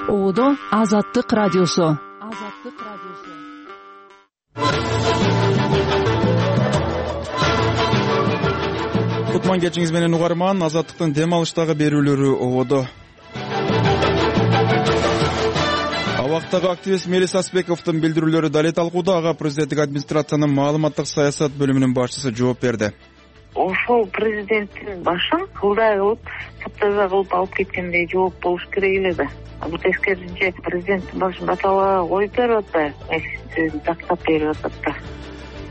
Ободо Азаттык радиосу. Кутман кечиңиз менен угарман. Азаттыктын дем алыштагы берүүлөрү ободо. Абактагы активист Мелис Асбековдун билдирүүлөрү дале талкууда. Ага президенттик администрациянын маалыматтык саясат бөлүмүнүн башчысы жооп берди. Ошол президенттин башын кылдай кылып, таптаза кылып алып кеткендей жооп болуш керек эле да. Бул тескерисинче президенттин башын баталага коюп берип атпайбы, тактап берип атат да.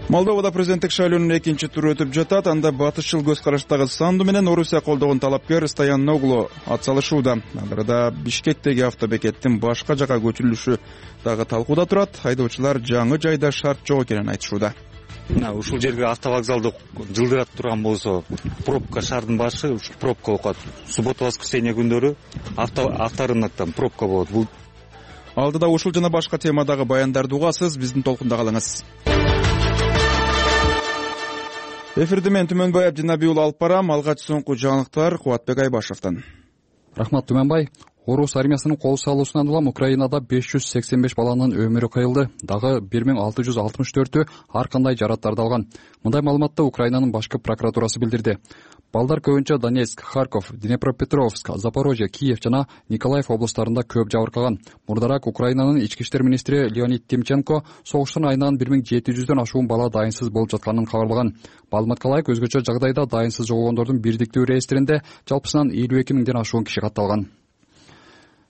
Молдовада президенттик шайлоонун экинчи туру өтүп жатат. Анда батышчыл көз караштагы Санду менен Орусия колдогон талапкер Стояноглу ат салышууда. Андарда Бишкектеги автобекеттин башка жака көчүрүлүшү дагы талкууда турат. Айдоочулар жаңы жайда шарт жок экенин айтышууда. Ушул жерге автовокзалды жылдырат турган болсо, пробка шаардын башы пробка болуп калат. Суббота, воскресенье күндөрү авторынактан пробка болот. Бул алдыда ушул жана башка темадагы баяндарды угасыз. Биздин толкунда калыңыз. Эфирди мен Түмөнбай Абдинабий уулу алып барам. Алгач соңку жаңылыктар Кубатбек Айбашевден. Рахмат Түмөнбай. Орус армиясынын кол салуусунан улам Украинада 585 баланын өмүрү кыйылды. Дагы 1664-ü ар кандай жараттарды алган. Мындай маалыматты Украинанын башкы прокуратурасы билдирди. Балдар көбүнчө Донецк, Харьков, Днепропетровск, Запорожье, Киев жана Николаев областарында көп жабыркаган. Мурдараак Украинанын ички иштер министри Леонид Тимченко согуштун айынан 1700дөн ашуун бала дайынсыз болуп жатканын кабарлаган. Маалыматка ылайык, өзгөчө жагдайда дайынсыз жоголгондордун бирдиктүү реестринде жалпысынан 52 миңден ашуун киши катталган.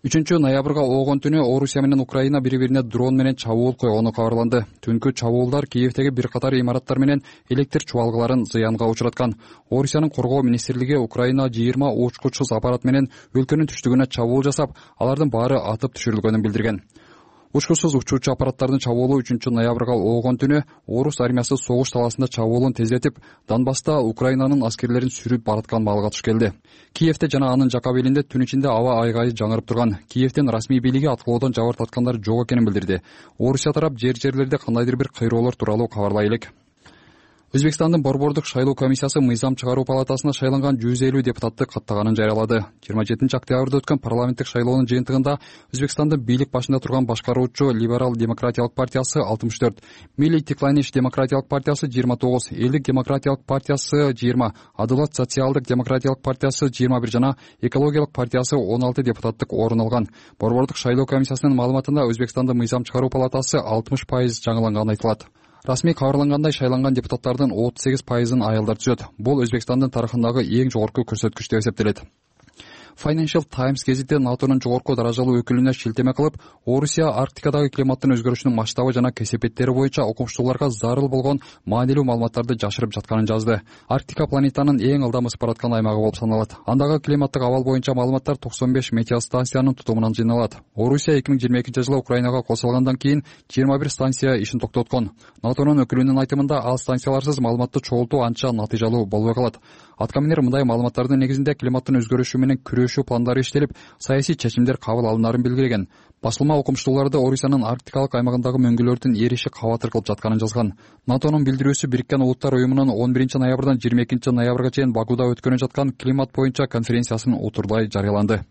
3-ноябрга оогон түнү Орусия менен Украина бири-бирине дрон менен чабуул койгону кабарланды. Түнкү чабуулдар Киевдеги бир катар имараттар менен электр чубалгыларын зыянга учураткан. Орусиянын коргоо министрлиги Украина 20 учкучсуз аппарат менен өлкөнүн түштүгүнө чабуул жасап, алардын баары атып түшүрүлгөнүн билдирген. Учкучсуз учуучу аппараттардын чабуулу 3-ноябрга оогон түнү Орус армиясы согуш талаасында чабуулун тездетип, Донбасста Украинанын аскерлерин сүрүп бараткан маалга туш келди. Киевде жана анын жака белинде түн ичинде аба айгайы жаңырып турган. Киевдин расмий бийлиги аткылоодон жабыркаткандар жок экенин билдирди. Орусия тарап жерлерде кандайдыр бир кыйроолор тууралуу кабарлай элек. Өзбекстандын Борбордук шайлоо комиссиясы мыйзам чыгаруу палатасына шайланган 150 депутатты каттаганын жарыялады. 27-октябрда өткөн парламенттик шайлоонун жыйынтыгында Өзбекстандын бийлик башында турган башкаруучу Либерал демократиялык партиясы 64, Милли Текланиш демократиялык партиясы 29, Элдик демократиялык партиясы 20, Адылат социалдык демократиялык партиясы 21 жана Экологиялык партиясы 16 депутаттык орун алган. Борбордук шайлоо комиссиясынын маалыматында Өзбекстандын мыйзам чыгаруу палатасы 60% жаңыланганы айтылат. Расмий кабарлангандай, шайланган депутаттардын 38%-ын аялдар түзөт. Бул Өзбекстандын тарыхындагы эң жогорку көрсөткүч деп эсептелет. Financial Times гезити НАТОнун жогорку даражалуу өкүлүнө шилтеме кылып, Орусия Арктикадагы климаттын өзгөрүшүнүн масштабы жана кесепеттери боюнча окумуштууларга зарыл болгон маанилүү маалыматтарды жашырып жатканын жазды. Арктика планетанын эң ылдам ысып бараткан аймагы болуп саналат. Андагы климаттык абал боюнча маалыматтар 95 метеостанциянын тутумунан жыйналат. Орусия 2022-жылы Украинага кол салгандан кийин 21 станция ишин токтоткон. НАТОнун өкүлүнүн айтымында, ал станцияларсыз маалыматты чогултуу анча натыйжалуу болбой калат. Аткаминер мындай маалыматтардын негизинде климаттын өзгөрүшү менен күрөшүү пландары иштелип, саясий чечимдер кабыл алынарын билдирген. Басылма окумуштууларды Орусиянын арктикалык аймагындагы мөңгүлөрдүн эриши кабатыр кылып жатканын жазган. НАТОнун билдирүүсү Бириккен Улуттар уюмунун 11-ноябрдан 22-ноябрга чейин Бакуда өткөнүп жаткан климат боюнча конференциясынын утурдай жарыяланды.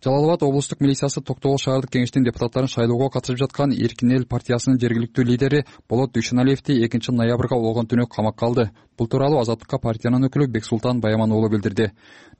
Жалал-Абад облустук милициясы Токтогул шаардык кеңештин депутаттарын шайлоого катышып жаткан Эркин эл партиясынын жергиликтүү лидери Болот Дүйшөналиевди 2-ноябрга оогон түнү камакка алды. Бул тууралуу Азаттыкка партиянын өкүлү Бексултан Баяман уулу билдирди.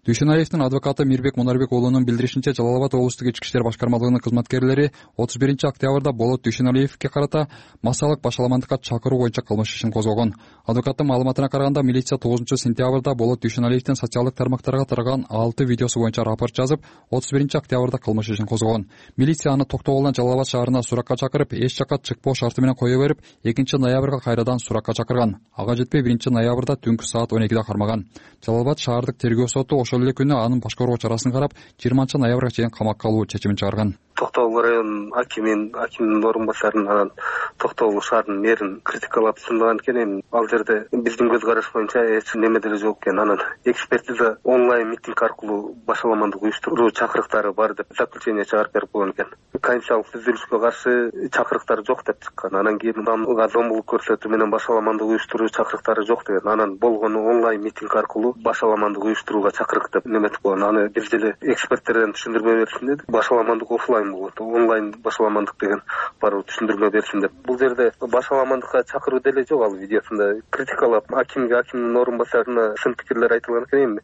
Дүйшөналиевдин адвокаты Мирбек Мунарбек уулунун билдиришинче, Жалал-Абад облустук ички иштер башкармалыгынын кызматкерлери 31-октябрда Болот Дүйшөналиевге карата массалык башаламандыкка чакыруу боюнча кылмыш ишин козгогон. Адвокаттын маалыматына караганда, милиция 9-сентябрда Болот Дүйшөналиевдин социалдык тармактарга тараган 6 видеосу боюнча рапорт жазып, 31-октябрда кылмыш ишин козгогон. Милиция аны Токтогулдан Жалал-Абад шаарына суракка чакырып, эч жакка чыкпоо шарты менен кое берип, 2-ноябрга кайрадан суракка чакырган. Ага жетпей 1-ноябрда түнкү саат 12-де кармаган. Жалал-Абад шаардык тергөө соту ошол эле күнү анын башкаруу чарасын карап, 20-ноябрга чейин камакка алуу чечимин чыгарган. Токтогул районунун акимдин орун басарын, анан Токтогул шаарынын мэрин критикалап сындаган экен. Эми ал жерде биздин көз караш боюнча эч неме деле жок экен. Анан экспертиза онлайн митинг аркылуу башаламандык уюштуруу чакырыктары бар деп заключение чыгарып берип койгон экен. Конституциялык түзүлүшкө каршы чакырыктар жок деп чыккан. Анан кийин зомбулук көрсөтүү менен башаламандык уюштуруу чакырыктары жок деген. Анан болгону онлайн митинг аркылуу башаламандык уюштурууга чакырык деп неметип койгон. Аны бир деле эксперттерден түшүндүрмө берсин деди. Башаламандык офлайн болот, онлайн башаламандык деген барып түшүндүрмө берсин деп. Бул жерде башаламандыкка чакыруу деле жок. Ал видеосунда критикалап акимдин орун басарына сын пикирлер айтылган экен.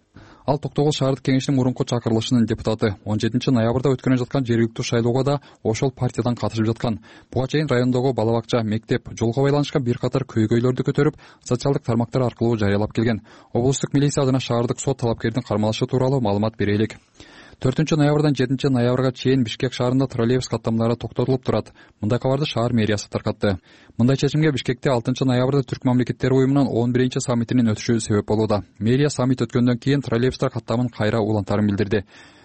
Ал Токтогул шаардык кеңешинин мурунку чакырылышынын депутаты. 17 ноябрда өткөнүп жаткан жергиликтүү шайлоого да ошол партиядан катышып жаткан. Буга чейин райондогу бала бакча, мектеп, жолго байланышкан бир катар көйгөйлөрдү көтөрүп, социалдык тармактар аркылуу жарыялап келген. Облустук милиция жана шаардык сот талапкердин кармалышы тууралуу маалымат берелик. 4 ноябрдан 7 ноябрга чейин Бишкек шаарында троллейбус каттамдары токтотулуп турат. Мындай кабарды шаар мэриясы таркатты. Мындай чечимге Бишкекте 6 ноябрда Түрк мамлекеттери уюмунун 11 саммитинин өтүшү себеп болууда. Мэрия саммит өткөндөн кийин троллейбустар каттамын кайра улантарын билдирди.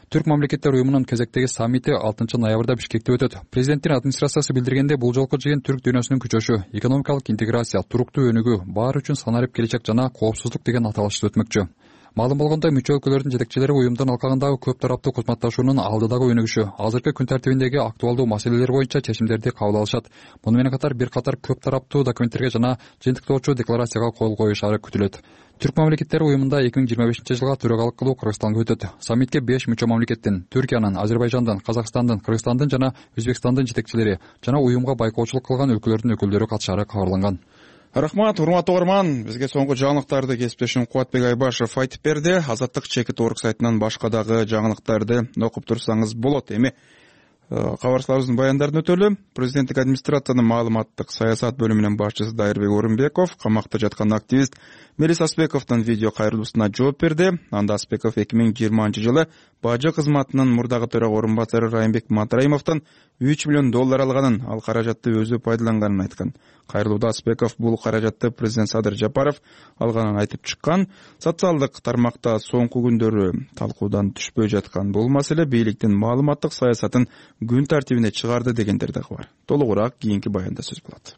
Түрк мамлекеттер уюмунун кезектеги саммити 6 ноябрда Бишкекте өтөт. Президенттин администрациясы билдиргенде бул жолку жыйын түрк дүйнөсүнүн күчөшү, экономикалык интеграция, туруктуу өнүгүү, баары үчүн санарип келечек жана коопсуздук деген аталышты өтмөкчү. Маалым болгондой, мүчө өлкөлөрдүн жетекчилери уюмдун алкагындагы көп тараптуу кызматташуунун алдыдагы өнүгүшү, азыркы күн тартибиндеги актуалдуу маселелер боюнча чечимдерди кабыл алышат. Муну менен катар бир катар көп тараптуу документтерге жана жыйынтыктоочу декларацияга кол коюшары күтүлөт. Түрк мамлекеттери уюмунда 2025 жылга төрагалык кылуу Кыргызстанга өтөт. Саммитке 5 мүчө мамлекеттин, Түркиянын, Азербайжандын, Казакстандын, Кыргызстандын жана Өзбекстандын жетекчилери жана уюмга байкоочулук кылган өлкөлөрдүн өкүлдөрү катышары кабарланган. Рахмат, урматтуу угарман. Бизге соңку жаңылыктарды кесиптешим Кубатбек Айбашев айтып берди. Азаттык чекит орг сайтынан башка дагы жаңылыктарды окуп турсаңыз болот. Эми кабарчыларыбыздын баяндарын өтөлү. Президенттик администрациянын маалыматтык саясат бөлүмүнүн башчысы Дайырбек Орунбеков камакта жаткан активист Мелис Аспековдун видео кайрылуусуна жооп берди. Анда Аспеков 2020 жылы бажы кызматынын мурдагы төрага орун басары Райымбек Матраимовдон $3 миллион алганын, ал каражатты өзү пайдаланганын айткан. Кайрылууда Аспеков бул каражатты президент Садыр Жапаров алганын айтып чыккан. Социалдык тармакта соңку күндөрү талкуудан түшпөй жаткан бул маселе бийликтин маалыматтык саясатын күн тартибине чыгарды дегендер дагы бар. Толугураак кийинки баянда сөз болот.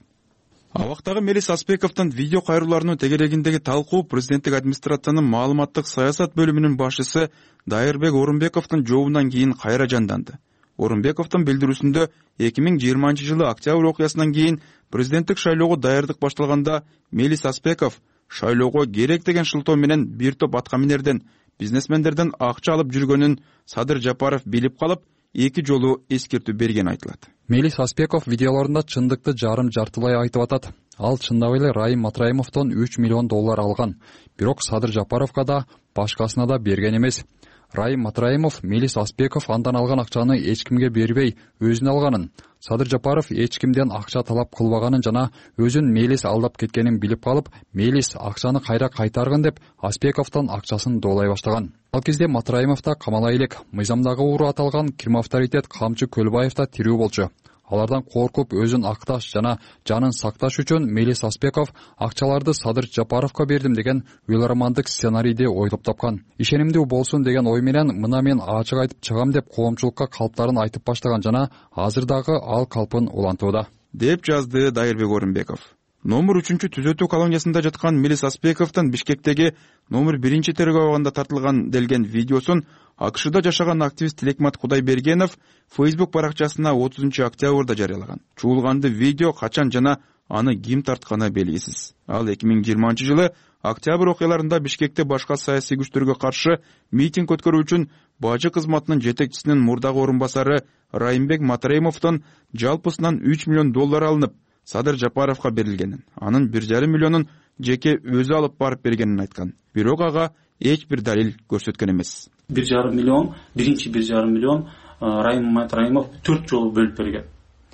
Абактагы Мелис Аспековдун видео кайрылууларынын тегерегиндеги талкуу президенттик администрациянын маалыматтык саясат бөлүмүнүн башчысы Дайырбек Орунбековдун жообунан кийин кайра жанданды. Орунбековдун билдирүүсүндө 2020 жылы октябрь окуясынан кийин президенттик шайлоого даярдык башталганда Мелис Аспеков шайлоого керек деген шылтоо менен бир топ аткаминерден, бизнесмендерден акча алып жүргөнүн Садыр Жапаров билип калып, 2 жолу эскертүү берген айтылат. Мелис Аспеков видеолорунда чындыкты жарым жартылай айтып атат. Ал чындап эле Райым Матраимовдон $3 миллион алган. Бирок Садыр Жапаровго да, башкасына да берген эмес. Райым Матраимов Мелис Аспеков андан алган акчаны эч кимге бербей, өзүнө алганын, Садыр Жапаров эч кимден акча талап кылбаганын жана өзүн Мелис алдап кеткенин билип калып, Мелис акчаны кайра кайтаргын деп Аспековдон акчасын доолай баштаган. Ал кезде Матраимов да камала элек, мыйзамдагы уру аталган кирме авторитет Камчы Көлбаев да тирүү болчу. Алардан коркуп өзүн акташ жана жанын сакташ үчүн Мелис Аспеков акчаларды Садыр Жапаровго бердим деген уйларамандык сценарийди ойлоп тапкан. Ишенимдүү болсун деген ой менен мына мен ачык айтып чыгам деп коомчулукка калптарын айтып баштаган жана азыр дагы ал калпын улантууда, деп жазды Дайырбек Орунбеков. Номер 3 түзөтүү колониясында жаткан Мелис Аспековдун Бишкектеги номер 1 тергөө абагында тартылган делген видеосун АКШда жашаган активист Тилекмат Кудайбергенов Facebook баракчасына 30 октябрда жарыялаган. Чуулганды видео качан жана аны ким тартканы белгисиз. Ал 2020 жылы октябрь окуяларында Бишкекте башка саясий күчтөргө каршы митинг өткөрүү үчүн бажы кызматынын жетекчисинин мурдагы орун басары Райымбек Матраимовдон жалпысынан $3 миллион алынып, Садыр Жапаровго берилгенин, анын 1,5 миллионун жеке өзү алып барып бергенин айткан. Бирок ага эч бир далил көрсөткөн эмес. 1,5 миллион, биринчи 1,5 миллион Райым Матраимов 4 жолу бөлүп берген.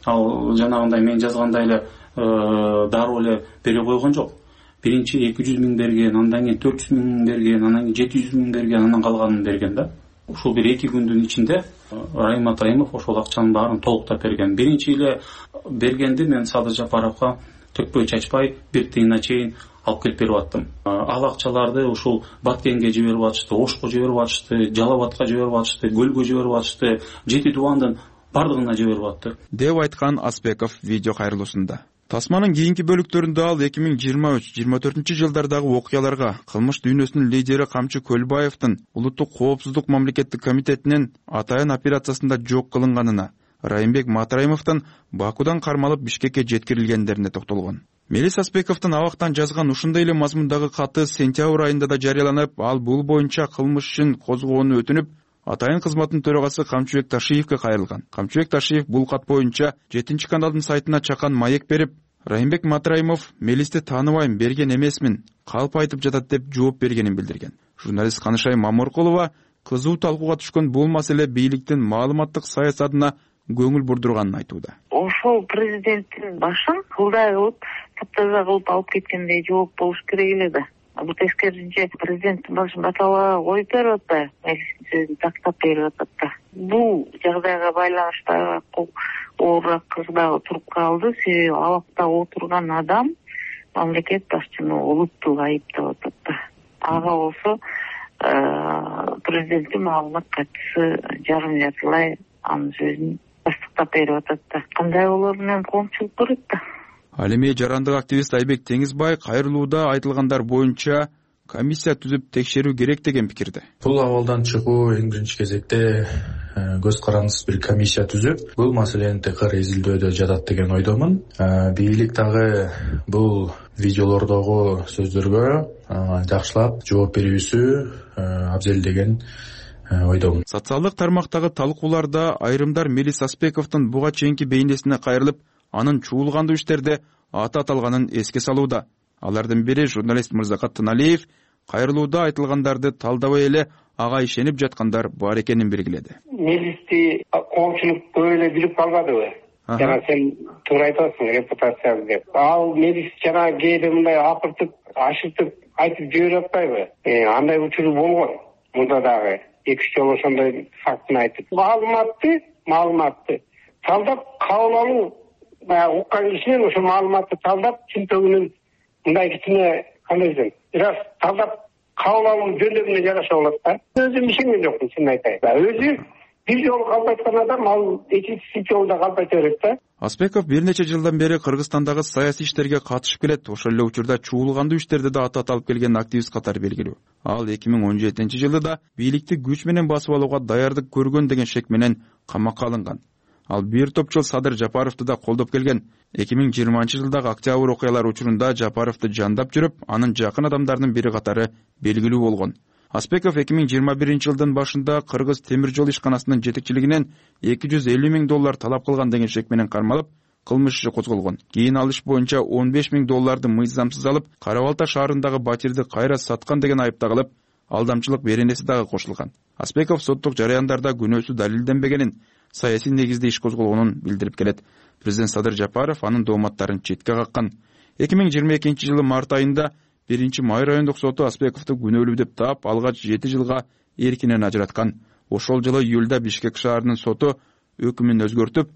Ал жанагындай мен жазгандай эле дароо эле бере койгон жок. Биринчи 200 миң берген, андан кийин 400 миң берген, андан кийин 700 миң берген, андан калганын берген да. Ушул бир 2 күндүн ичинде Райым Матраимов ошол акчанын баарын толуктап берген. Биринчи эле бергенди мен Садыр Жапаровго төкпөй чачпай бир тыйына чейин алып келип берип аттым. Ал акчаларды ушул Баткенге жиберип атышты, Ошко жиберип атышты, Жалал Абадка жиберип атышты, Көлгө жиберип атышты, Жети Дубандын бардыгына жиберип атты деп айткан Аспеков видео кайрылуусунда. Тасманын кийинки бөлүктөрүндө ал 2023-24 жылдардагы окуяларга кылмыш дүйнөсүнүн лидери Камчы Көлбаевдин улуттук коопсуздук мамлекеттик комитетинин атайын операциясында жок кылынганына, Райымбек Матраимовдун Бакудан кармалып Бишкекке жеткирилгендерине токтолгон. Мелис Аспековдун абактан жазган ушундай эле мазмундагы каты сентябрь айында да жарыяланып, ал бул боюнча кылмыш ишин козгоону өтүнүп, атайын кызматтын төрагасы Камчыбек Ташиевке кайрылган. Камчыбек Ташиев бул кат боюнча 7 каналдын сайтына чакан маек берип, Райымбек Матраимов Мелисти тааныбайм, берген эмесмин, калп айтып жатат деп жооп бергенин билдирген. Журналист Канышай Маморкулова кызуу талкууга түшкөн бул маселе бийликтин маалыматтык саясатына көңүл бурдурганын айтууда. Ошол президенттин башын кылдай кылып, таптаза кылып алып кеткендей жооп болуш керек эле да. Бул тескерисинче президенттин башын баталага коюп берип атпайбы, сөзүн тактап берип атат да. Бул жагдайга байланыштуу оорураак кыз дагы туруп калды, себеби абакта отурган адам мамлекет башчыны олуттук айыптап атат да. Ага болсо президенттин маалымат катчысы жарым жартылай анын сөзүн тастыктап берип атат да. Кандай болор менен коомчулук көрөт да. Ал эми жарандык активист Айбек Теңизбай кайрылууда айтылгандар боюнча комиссия түзүп текшерүү керек деген пикирде. Бул абалдан чыгуу эң биринчи кезекте көз карандысыз бир комиссия түзүп, бул маселени текер изилдөөдө жатат деген ойдомун. Бийлик дагы бул видеолордогу сөздөргө жакшылап жооп берүүсү абзел деген ойдомун. Социалдык тармактагы талкууларда айрымдар Мелис Аспековдун буга чейинки бейнесине кайрылып, анын чуулгандуу иштерде аты аталганын эске салууда. Алардын бири журналист Мырзакат Тыналиев кайрылууда айтылгандарды талдабай эле ага ишенип жаткандар бар экенин белгиледи. Мелисти коомчулук көп эле билип калбадыбы? Жана сен туура айтасың, репутациясы деп. Ал Мелис жана кээде мындай акыртып, ашытып айтып жиберип атпайбы? Андай учуру болгон. Мында дагы 2-3 жолу ошондой фактын айтып. Маалыматты талдап кабыл алуу, уккан кишинен ошо маалыматты талдап, чынтөгүнүн мындай кичине кандай десем, бирок талдап кабыл алуу жөндөмүнө жараша болот да. Өзүм ишенген жокмун, чын айтайын. Өзү бир жолу калп айткан адам, ал экинчи жолу да калп айта берет да. Аспеков бир нече жылдан бери Кыргызстандагы саясий иштерге катышып келет. Ошол эле учурда чуулгандуу иштерде да аты аталып келген активист катары белгилүү. Ал 2017-жылы да бийликти күч менен басып алууга даярдык көргөн деген шек менен камакка алынган. Ал бир топ жыл Садыр Жапаровду да колдоп келген. 2020-жылдагы октябрь окуялар учурунда Жапаровду жандап жүрүп, анын жакын адамдарынын бири катары белгилүү болгон. Аспеков 2021-жылдын башында Кыргыз темир жол ишканасынын жетекчилигинен $250,000 талап кылган деген шек менен кармалып, кылмыш иши козголгон. Кийин ал иш боюнча $15,000 мыйзамсыз алып, Кара Балта шаарындагы батирди кайра саткан деген айып тагылып, алдамчылык беренеси дагы кошулган. Аспеков соттук жараяндарда күнөөсү далилденбегенин, саясий негизде иш козголгонун билдирип келет. Президент Садыр Жапаров анын дооматтарын четке каккан. 2022-жылы март айында 1-Май райондук соту Аспековду күнөөлүү деп таап, алгач 7 жылга эркинен ажыраткан. Ошол жылы июлда Бишкек шаарынын соту өкүмүн өзгөртүп,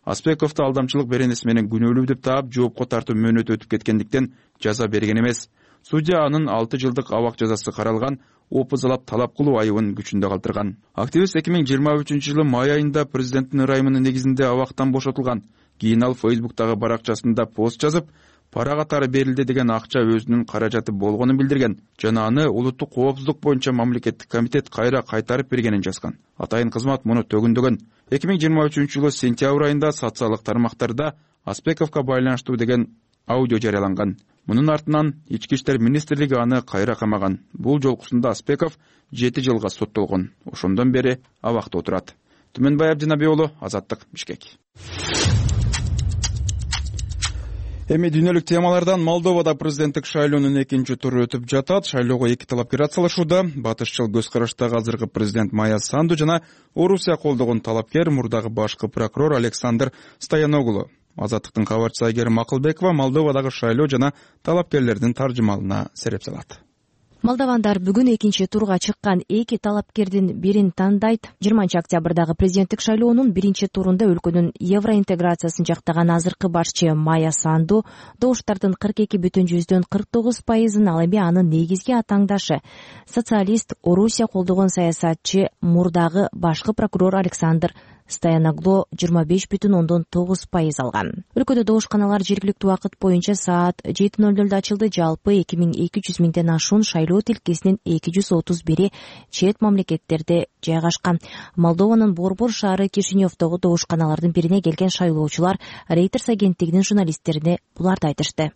Аспековду алдамчылык беренеси менен күнөөлүү деп таап, жоопко тартуу мөөнөтү өтүп кеткендиктен жаза берген эмес. Судья анын 6 жылдык абак жазасы каралган, опузалап талап кылуу айыбын күчүндө калтырган. Активист 2023-жылы май айында президенттин ырайымынын негизинде абактан бошотулган. Кийин ал Facebook'тагы баракчасында пост жазып, пара катары берилди деген акча өзүнүн каражаты болгонун билдирген жана аны улуттук коопсуздук боюнча мамлекеттик комитет кайра кайтарып бергенин жазган. Атайын кызмат муну төгүндөгөн. 2023-жылы сентябрь айында социалдык тармактарда Аспековго байланыштуу деген аудио жарыяланган. Мунун артынан Ички иштер министрлиги аны кайра камаган. Бул жолкусунда Аспеков 7 жылга соттолгон. Ошондон бери абакта отурат. Түмөнбай Абдинаби уулу, Азаттык, Бишкек. Эми дүйнөлүк темалардан Молдовада президенттик шайлоонун экинчи туру өтүп жатат. Шайлоого 2 талапкер атсалышууда. Батышчыл көз караштагы азыркы президент Майя Санду жана Орусия колдогон талапкер мурдагы башкы прокурор Александр Стояноглу. Азаттыктын кабарчысы Айгерим Макылбекова Молдовадагы шайлоо жана талапкерлердин таржымалына сереп салат. Молдовандар бүгүн экинчи турга чыккан 2 талапкердин бирин тандайт. 20-октябрдагы президенттик шайлоонун биринчи турунда өлкөнүн евроинтеграциясын жактаган азыркы башчы Майя Санду добуштардын 42,49%, ал эми анын негизги атаңдашы социалист Орусия колдогон саясатчы мурдагы башкы прокурор Александр Стояногло 25,9% алган. Өлкөдө добушканалар жергиликтүү убакыт боюнча саат 7:00 ачылды. Жалпы 2200 миңден ашуун шайлоо тилкесинин 231 чет мамлекеттерде жайгашкан. Молдованын Борбор шаары Кишиневдогу добушканалардын бирине келген шайлоочулар Reuters агенттигинин журналисттерине буларды айтышты.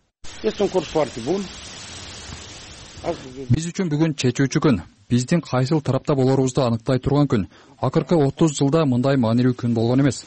Биз үчүн бүгүн чечүүчү күн. Биздин кайсыл тарапта болорубузду аныктай турган күн. Акыркы 30 жылда мындай маанилүү күн болгон эмес.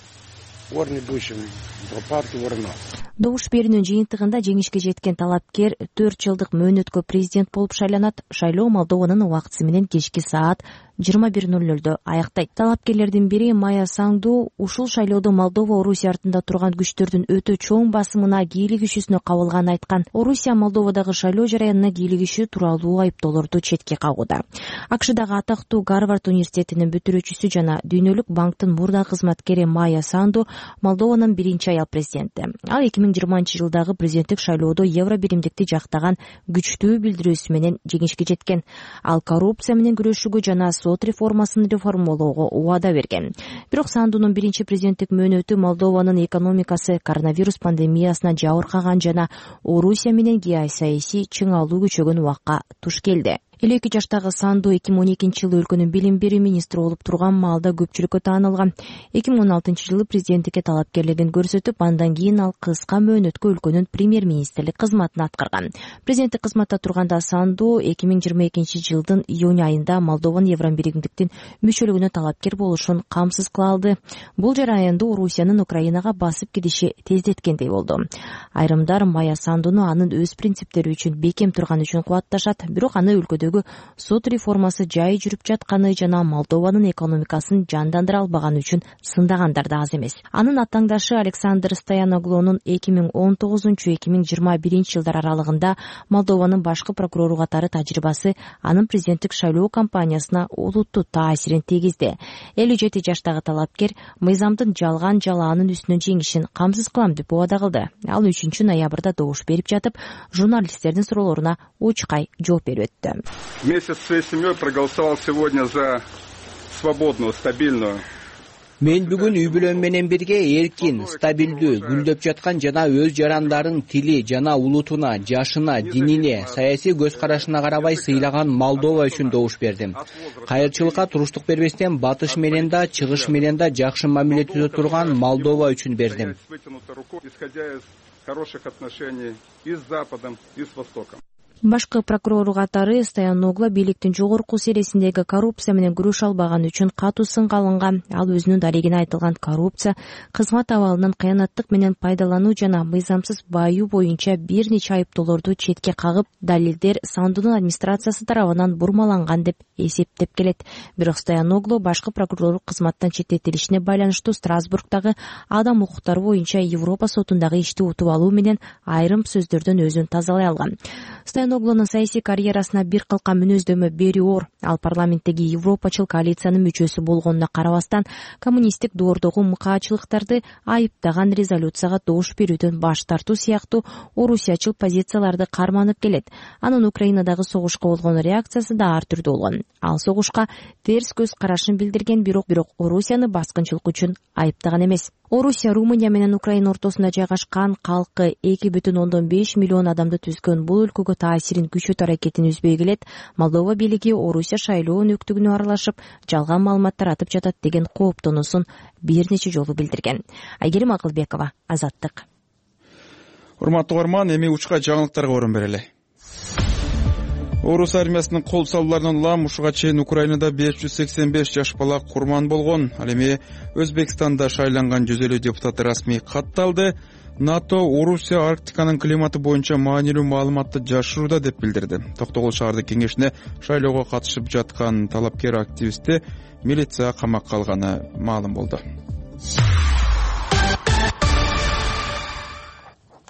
Добуш берүүнүн жыйынтыгында жеңишке жеткен талапкер 4 жылдык мөөнөткө президент болуп шайланат. Шайлоо Молдованын убактысы менен кечки саат 21:00 аяктайт. Талапкерлердин бири Майя Санду ушул шайлоодо Молдова Орусия артында турган күчтөрдүн өтө чоң басымына кийлигишүүсүнө кабылганын айткан. Орусия Молдовадагы шайлоо жараянына кийлигишүү тууралуу айыптоолорду четке кагууда. АКШдагы атактуу Гарвард университетинин бүтүрүүчүсү жана Дүйнөлүк банктын мурда кызматкери Майя Санду Молдованын биринчи аял президенти. Ал 2020 жылдагы президенттик шайлоодо евро биримдикти жактаган күчтүү билдирүүсү менен жеңишке жеткен. Ал коррупция менен күрөшүүгө жана сот реформасын реформалоого убада берген. Бирок Сандунун биринчи президенттик мөөнөтү Молдованын экономикасы коронавирус пандемиясына жабыркаган жана Орусия менен геосаясий чыңалуу күчөгөн убакка туш келди. 52 жаштагы Санду 2012 жылы өлкөнүн билим берүү министри болуп турган маалда көпчүлүккө таанылган. 2016 жылы президенттикке талапкерлигин көрсөтүп, андан кийин ал кыска мөөнөткө өлкөнүн премьер-министрлик кызматын аткарган. Президенттик кызматта турганда Санду 2022 жылдын июнь айында Молдованын евро биримдиктин мүчөлүгүнө талапкер болушун камсыз кыла алды. Бул жараянды Орусиянын Украинага басып кириши тездеткендей болду. Айрымдар Майя Сандуну анын өз принциптери үчүн бекем турганы үчүн кубатташат, бирок аны өлкөдө сот реформасы жай жүрүп жатканы жана Молдованын экономикасын жандандыра албаганы үчүн сындагандар да аз эмес. Анын аттаңдашы Александр Стояноглонун 2019-2021 жылдар аралыгында Молдованын башкы прокурору катары тажрыйбасы анын президенттик шайлоо кампаниясына олуттуу таасирин тийгизди. 57 жаштагы талапкер мыйзамдын жалган жалаанын үстүнөн жеңишин камсыз кылам деп убада кылды. Ал 3 ноябрда добуш берип жатып, журналисттердин суроолоруна учкай жооп берип өттү. Вместе со своей семьей проголосовал сегодня за свободную, стабильную. Мен бүгүн үй бүлөм менен бирге эркин, стабилдүү, гүлдөп жаткан жана өз жарандарын тили жана улутуна, жашына, динине, саясий көз карашына карабай сыйлаган Молдова үчүн добуш бердим. Кайырчылыкка туруштук бербестен батыш менен да, чыгыш менен да жакшы мамиле түзө турган Молдова үчүн бердим. Башкы прокурору катары Стояногло бийликтин жогорку сересиндеги коррупция менен күрөшө албаганы үчүн катуу сынга алынган. Ал өзүнүн дарегине айтылган коррупция, кызмат абалынан кыянаттык менен пайдалануу жана мыйзамсыз бааюу боюнча бир нече айыптоолорду четке кагып, далилдер Сандунун администрациясы тарабынан бурмаланган деп эсептеп келет. Бирок Стояногло башкы прокурор кызматтан четтетилишине байланыштуу Страсбургдагы адам укуктары боюнча Европа сотундагы ишти утуп алуу менен айрым сөздөрдөн өзүн тазалай алган. Стояноглонун саясий карьерасына бир кылка мүнөздөмө берүү оор. Ал парламенттеги Европачыл коалициянын мүчөсү болгонуна карабастан, коммунисттик доордогу мыкаачылыктарды айыптаган резолюцияга добуш берүүдөн баш тартуу сыяктуу орусиячыл позицияларды карманып келет. Анын Украинадагы согушка болгон реакциясы да ар түрдүү болгон. Ал согушка терс көз карашын билдирген, бирок Орусияны баскынчылык үчүн айыптаган эмес. Орусия Румыния менен Украина ортосунда жайгашкан, калкы 2,5 миллион адамды түзгөн бул өлкөгө таасирин күчөтүү аракетин үзбөй келет. Молдова бийлиги Орусия шайлоо өнөктүгүнө аралашып, жалган маалымат таратып жатат деген кооптонуусун бир нече жолу билдирген. Айгерим Акылбекова, Азаттык. Урматтуу угарман, эми учка жаңылыктарга орун берели. Орус армиясынын кол салууларынан улам ушуга чейин Украинада 585 жаш бала курман болгон. Ал эми Өзбекстанда шайланган 150 депутат расмий катталды. НАТО Орусия Арктиканын климаты боюнча маанилүү маалыматты жашырууда деп билдирди. Токтогул шаардык кеңешине шайлоого катышып жаткан талапкер активистти милиция камакка алганы маалым болду.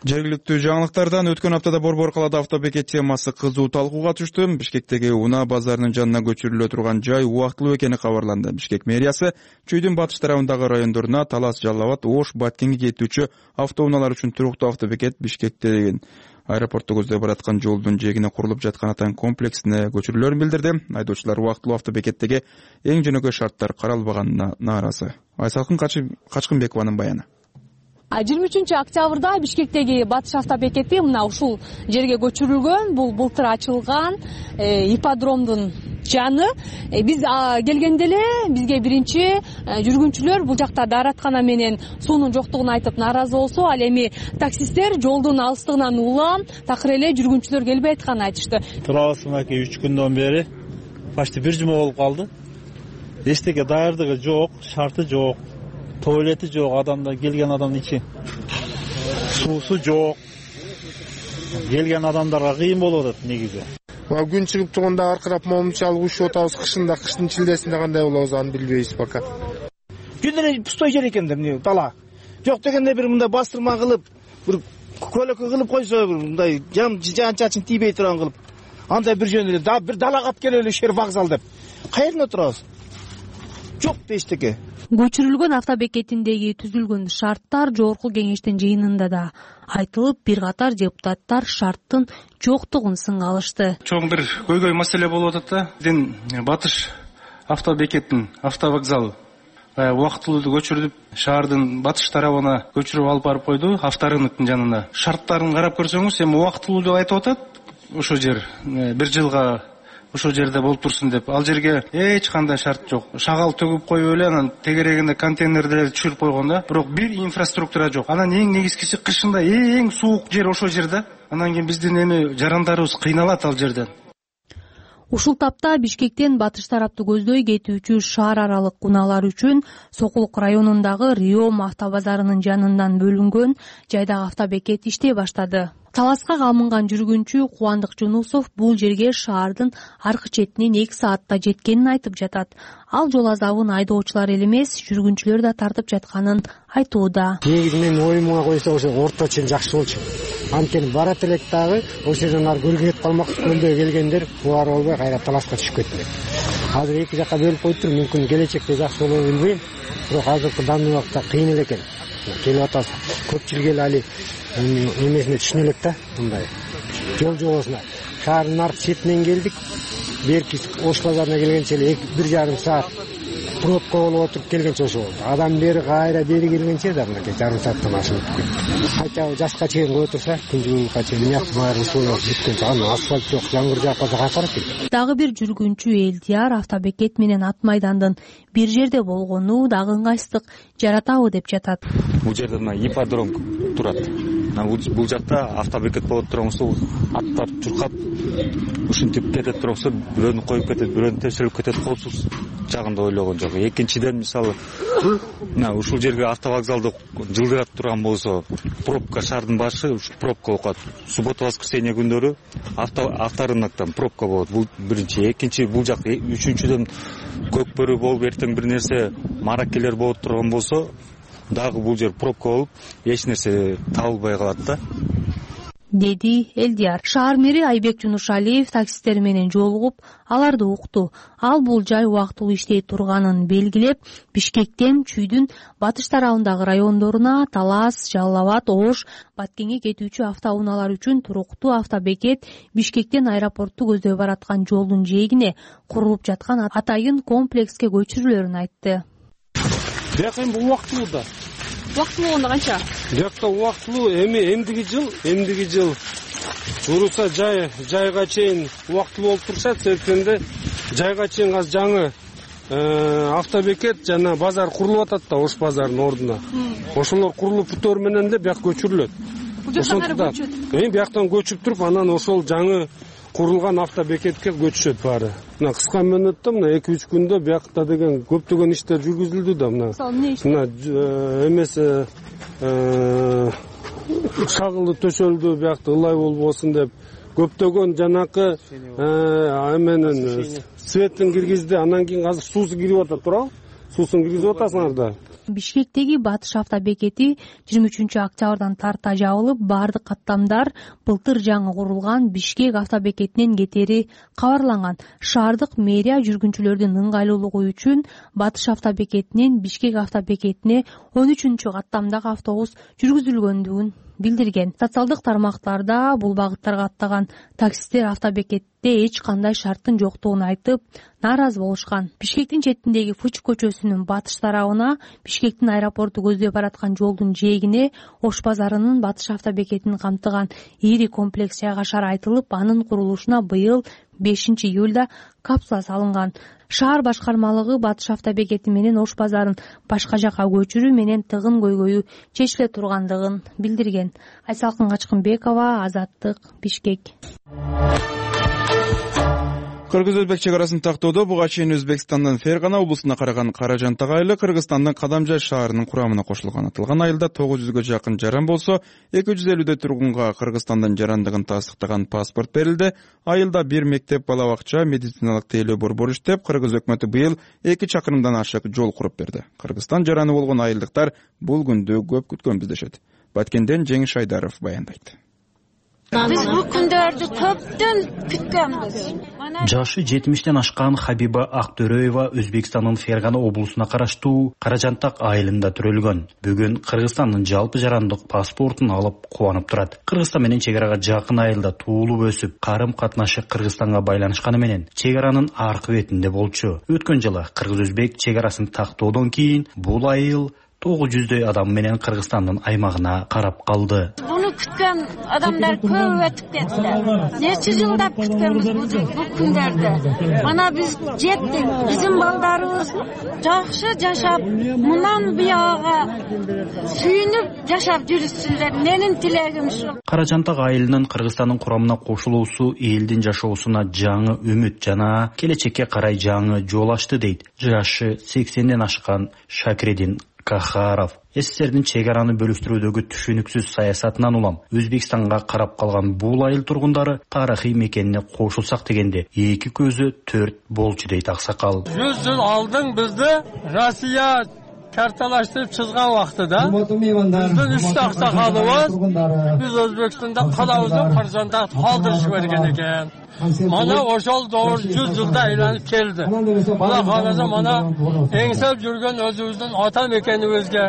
Жергиликтүү жаңылыктардан өткөн аптада Борбор калаада автобекет темасы кызуу талкууга түштү. Бишкектеги Уна базарынын жанына көчүрүлө турган жай убактылуу экени кабарланды. Бишкек мэриясы чүйдүн батыш тарабындагы райондоруна Талас, Жалал Абад, Ош, Баткенге кетүүчү автоунаалар үчүн туруктуу автобекет Бишкектен Аэропортто көздөй бараткан жолдун жээгине курулуп жаткан атайын комплексине көчүрүлөрүн билдирди. Айдоочулар убактылуу автобекеттеги эң жөнөкөй шарттар каралбаганына нааразы. Айсалкын Качкынбекованын баяны. 23-октябрда Бишкектеги батыш автобекети мына ушул жерге көчүрүлгөн. Бул былтыр ачылган ипподромдун жаны. Биз келгенде эле бизге биринчи жүргүнчүлөр бул жакта даараткана менен суунун жоктугун айтып нааразы болсо, ал эми таксисттер жолдун алыстыгынан улам такыр эле жүргүнчүлөр келбей атканын айтышты. Турабыз мынакей 3 күндөн бери почти бир жума болуп калды. Эчтеке даярдыгы жок, шарты жок. Туалети жок, адамдар келген адамдын ичи. Суусу жок. Келген адамдарга кыйын болуп атат негизи. Күн чыгып турганда аркырап момунча алып учуп атабыз. Кыштын чилдесинде кандай болобуз аны билбейбиз пока. Күн эле пустой жер экен да, эмне дала. Жок дегенде бир мындай бастырма кылып, бир көлөкө кылып койсо, бир мындай жан-чачын тийбей турган кылып. Андай бир жөн эле, да бир далага алып келели шер вокзал деп. Каерде отурабыз? Жок эчтеке. Көчүрүлгөн автобекетиндеги түзүлгөн шарттар жогорку кеңештин жыйынында да айтылып, бир катар депутаттар шарттын жоктугун сынга алышты. Чоң бир көйгөй маселе болуп атат да. Биздин батыш автобекеттин автовокзалы убактылуу көчүрүлүп, шаардын батыш тарабына көчүрүп алып барып койду, авторынктын жанына. Шарттарын карап көрсөңүз, эми убактылуу деп айтып атат. Ошо жер бир жылга ошол жерде болуп турсун деп. Ал жерге эч кандай шарт жок. Шагал төгүп коюп эле, анан тегерегинде контейнерлерди түшүрүп койгон да. Бирок бир инфраструктура жок. Анан эң негизгиси кышында эң суук жер ошол жерде. Анан кийин биздин эми жарандарыбыз кыйналат ал жерден. Ушул тапта Бишкектен батыш тарапты көздөй кетүүчү шаар аралык унаалар үчүн Сокулук районундагы Риом автобазарынын жанынан бөлүнгөн жайдагы автобекет иштей баштады. Таласка камынган жүргүнчү Кубандык Жунусов бул жерге шаардын аркы четинен 2 саатта жеткенин айтып жатат. Ал жол азабын айдоочулар эле эмес, жүргүнчүлөр да тартып жатканын айтууда. Негизи мен оюмга койсо ошо орто чен жакшы болчу. Анткени барат элек дагы ошо жерден ары көлгө кетип калмакчы, көлдө келгендер кубар болбой кайра таласка түшүп кетти. Азыр эки жакка бөлүп коюптур, мүмкүн келечекте жакшы болобу билбейм. Бирок азыркы данный убакта кыйын эле экен. Келип атабыз. Көпчүлүк эл али эмесине түшүнө элек да, мындай жол жобосуна. Шаардын аркы четинен келдик. Берки Ош базарына келгенче эле 1,5 саат пробка болуп отуруп келгенче ошо болду. Адам бери кайра бери келгенче да мынакей жарым сааттан ашып кетти. Кайта жашка чейин коюп турса, күндүгүнкү чейин мыяк баары ушул бүткөнчө аны асфальт жок, жаңгыр жаап калса кайкырат келет. Дагы бир жүргүнчү Элдияр автобекет менен ат майдандын бир жерде болгону дагы ыңгайсыздык жаратабы деп жатат. Бул жерде мына ипподром турат. Бул жакта автобекет болуп тургансо, аттар чуркап ушинтип кетет тургансо, бирөөнү коюп кетет, бирөөнү текшерип кетет, коопсуз жагында ойлогон жок. Экинчиден, мисалы, мына ушул жерге автовокзалды жылдырат турган болсо, пробка шаардын башы пробка болуп калат. Суббота, воскресенье күндөрү авторынктан пробка болот. Бул биринчи, экинчи бул жак, үчүнчүдөн көкбөрү болуп, эртең бир нерсе маракелер болуп турган болсо, дагы бул жер пробка болуп, эч нерсе табылбай калат да. Деди Элдияр. Шаар мэри Айбек Жунушалиев таксисттер менен жолугуп, аларды укту. Ал бул жай убактылуу иштей турганын белгилеп, Бишкектен Чүйдүн батыш тарабындагы райондоруна Талас, Жалал Абад, Ош, Баткенге кетүүчү автоунаалар үчүн туруктуу автобекет Бишкектен аэропортту көздөй бараткан жолдун жээгине курулуп жаткан атайын комплекске көчүрүлөрүн айтты. Бияк эми убактылуу да. Убактылуу болгондо канча? Биякта убактылуу эмдиги жыл буруса жайга чейин убактылуу болуп турса, себептенде жайга чейин азыр жаңы автобекет жана базар курулуп атат да, Ош базарынын ордуна. Ошолор курулуп бүтөр менен эле бияк көчүрүлөт. Бул жактан кайра көчөт. Бияктан көчүп туруп, анан ошол жаңы курулган автобекетке көчүшөт баары. Мына кыска мөөнөттө, мына 2-3 күндө биякта деген көптөгөн иштер жүргүзүлдү да. Мына эмес шагылы төшөлдү, биякта ылай болбосун деп көптөгөн жанакы эменин светтин киргизди. Анан кийин азыр суусу кирип атат, туурабы? Суусун киргизип атасыңар да. Бишкектеги батыш автобекети 23-октябрдан тарта жабылып, бардык каттамдар былтыр жаңы курулган Бишкек автобекетинен кетери кабарланган. Шаардык мэрия жүргүнчүлөрдүн ыңгайлуулугу үчүн батыш автобекетинен Бишкек автобекетине 13-каттамдагы автобус жүргүзүлгөндүгүн билдирген. Социалдык тармактарда бул багыттарга аттаган таксисттер автобекетте эч кандай шарттын жоктугун айтып нааразы болушкан. Бишкектин четиндеги Фуч көчөсүнүн батыш тарабына, Бишкектин аэропорту көздөй бараткан жолдун жээгине Ош базарынын батыш автобекетин камтыган ири комплекс жайгашары айтылып, анын курулушуна быйыл 5-июлда капсула салынган. Шаар башкармалыгы батыш автобекети менен Ош базарын башка жака көчүрүү менен тыгын көйгөйү чечиле тургандыгын билдирген. Айсалкын Качкынбекова, Азаттык, Бишкек. Кыргыз-Өзбек чек арасын тактоодо буга чейин Өзбекстандын Фергана облусуна караган Каражантак айылы Кыргызстандын Кадамжай шаарынын курамына кошулган. Аталган айылда 900гө жакын жаран болсо, 250 тургунга Кыргызстандын жарандыгын тастыктаган паспорт берилди. Айылда бир мектеп, бала бакча, медициналык тейлөө борбору иштеп, Кыргыз өкмөтү быйыл 2 чакырымдан ашык жол куруп берди. Кыргызстан жараны болгон айылдыктар бул күндү көп күткөнбүз дешет. Баткенден Жеңиш Айдаров баяндайт. Биз бул күндөрдү көптөн күткөнбүз. Жашы 70тен ашкан Хабиба Актөрөева Өзбекстандын Фергана облусуна караштуу Каражантак айылында төрөлгөн. Бүгүн Кыргызстандын жалпы жарандык паспортун алып кубанып турат. Кыргызстан менен чек арага жакын айылда туулуп өсүп, карым катнашы Кыргызстанга байланышканы менен чек аранын аркы бетинде болчу. Өткөн жылы Кыргыз-Өзбек чек арасын тактоодон кийин бул айыл 900дөй адам менен Кыргызстандын аймагына карап калды. Буну күткөн адамдар көп өтүп кетти. Нече жылдап күткөнбүз бул күндөрдү. Мана биз жеттик. Биздин балдарыбыз жакшы жашап, мындан бияга сүйүнүп жашап жүрүшсүндөр. Менин тилегим ушул. Каражантак айылынын Кыргызстандын курамына кошулуусу элдин жашоосуна жаңы үмүт жана келечекке карай жаңы жол ачты дейт жашы 80ден ашкан Шакредин Кахаров. СССРдин чек араны бөлүштүрүүдөгү түшүнүксүз саясатынан улам Өзбекстанга карап калган бул айыл тургундары тарыхый мекенине кошулсак дегенде эки көзү төрт болчу дейт аксакал. 100 жыл алдын бизди Россия карталаштырып чызган убактыда биздин 3 аксакалыбыз биз Өзбекстанда калабызды Каражантакта калтырышып берген экен. Mana ошол doğru 100 жылда айланып келди. Мана караса мана эңсеп жүргөн өзүбүздүн ата мекенибизге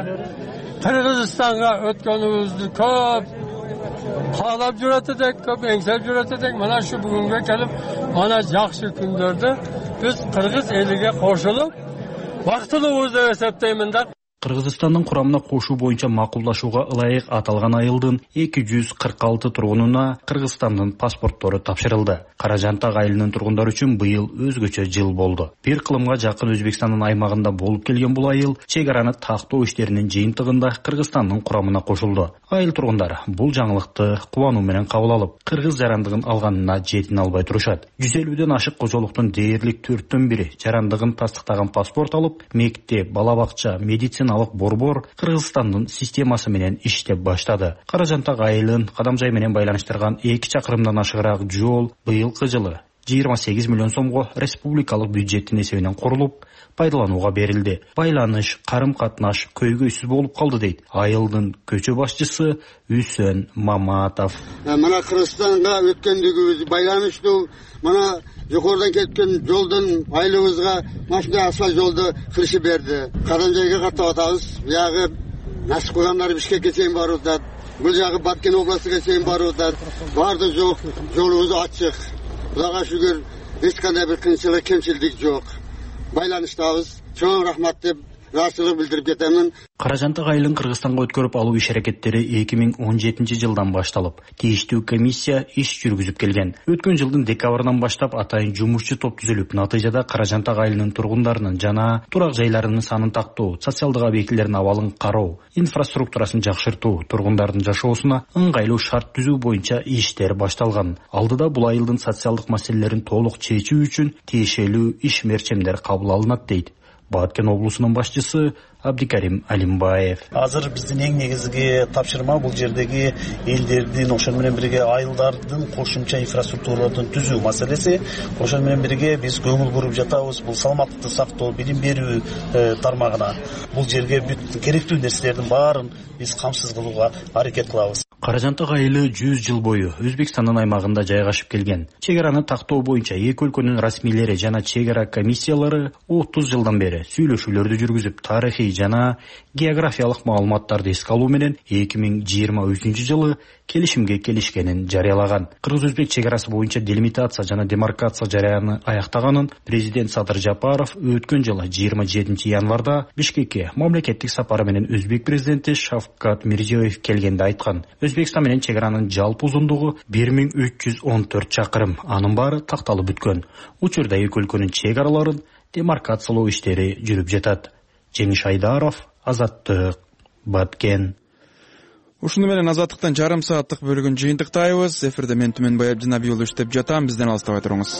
Кыргызстанга өткөнүбүздү көп каалап жүрөт элек, көп эңсеп жүрөт элек. Мана şu бүгүнгө келип, мана жакшы күндөрдү биз кыргыз элиге кошулуп бактылуубуз деп эсептеймин да. Кыргызстандын курамына кошуу боюнча макулдашууга ылайык аталган айылдын 246 тургунуна Кыргызстандын паспорттору тапшырылды. Каражантак айылынын тургундары үчүн быйыл өзгөчө жыл болду. Бир кылымга жакын Өзбекстандын аймагында болуп келген бул айыл чек араны тактоо иштеринин жыйынтыгында Кыргызстандын курамына кошулду. Айыл тургундары бул жаңылыкты кубануу менен кабыл алып, кыргыз жарандыгын алганына жетине албай турушат. 150ден ашык кожолуктун дээрлик 4төн бири жарандыгын тастыктаган паспорт алып, мектеп, бала бакча, медициналык борбор Кыргызстандын системасы менен иштеп баштады. Каражантак айылын Кадамжай менен байланыштырган 2 чакырымдан ашыгыраак жол быйылкы жылы 28 миллион сомго республикалык бюджеттин эсебинен курулуп, пайдаланууга берилди. Байланыш, карым-катнаш көйгөйсүз болуп калды дейт айылдын көчө башчысы Үсөн Маматов. Мана Кыргызстанга өткөндүгүбүз байланыштуу, мана жогорудан кеткен жолдун айылыбызга машина асфальт жолду кылышып берди. Кадамжайга каттап атабыз. Бuyagы Насып кылгандар Бишкекке чейин барып атат. Бул жагы Баткен областыга чейин барып атат. Барды жок, жолубуз ачык. Кудайга шүгүр, эч кандай бир кыйынчылык, кемчилдик жок. Байланыштабыз. Чоң рахмат деп ыраазычылык билдирип кетемин. Каражантак айылын Кыргызстанга өткөрүп алуу иш аракеттери 2017-жылдан башталып, тийиштүү комиссия иш жүргүзүп келген. Өткөн жылдын декабрынан баштап атайын жумушчу топ түзүлүп, натыйжада Каражантак айылынын тургундарынын жана турак жайларынын санын тактоо, социалдык объектилердин абалын кароо, инфраструктурасын жакшыртуу, тургундардын жашоосуна ыңгайлуу шарт түзүү боюнча иштер башталган. Алдыда бул айылдын социалдык маселелерин толук чечүү үчүн тиешелүү иш мерчемдер кабыл алынат дейт Баткен облусунун башчысы Абдикарим Алимбаев. Азыр биздин эң негизги тапшырма бул жердеги элдердин, ошол менен бирге айылдардын кошумча инфраструктураларын түзүү маселеси. Ошол менен бирге биз көңүл буруп жатабыз бул саламаттыкты сактоо, билим берүү тармагына. Бул жерге бүт керектүү нерселердин баарын биз камсыз кылууга аракет кылабыз. Кара жантак айылы 100 жыл бою Өзбекстандын аймагында жайгашып келген. Чек араны тактоо боюнча эки өлкөнүн расмийлери жана чек ара комиссиялары 30 жылдан бери сүйлөшүүлөрдү жүргүзүп, тарыхый жана географиялык маалыматтарды эске алуу менен 2023 жылы келишимге келишкенин жарыялаган. Кыргыз-өзбек чек арасы боюнча делимитация жана демаркация жараяны аяктаганын президент Садыр Жапаров өткөн жылы 27 январда Бишкекке мамлекеттик сапары менен өзбек президенти Шавкат Мирзиёев келгенде айткан. Өзбекстан менен чек аранын жалпы узундугу 1314 чакырым. Анын баары такталып бүткөн. Учурда эки өлкөнүн чек араларын демаркациялоо иштери жүрүп жатат. Жеңиш Айдаров, Азаттык, Баткен. Ушуну менен Азаттыктан жарым сааттык бөлүгүн жыйынтыктайбыз. Эфирде мен Түмөнбай Абдинабиулу иштеп жатам. Бизден алыстабай туруңуз.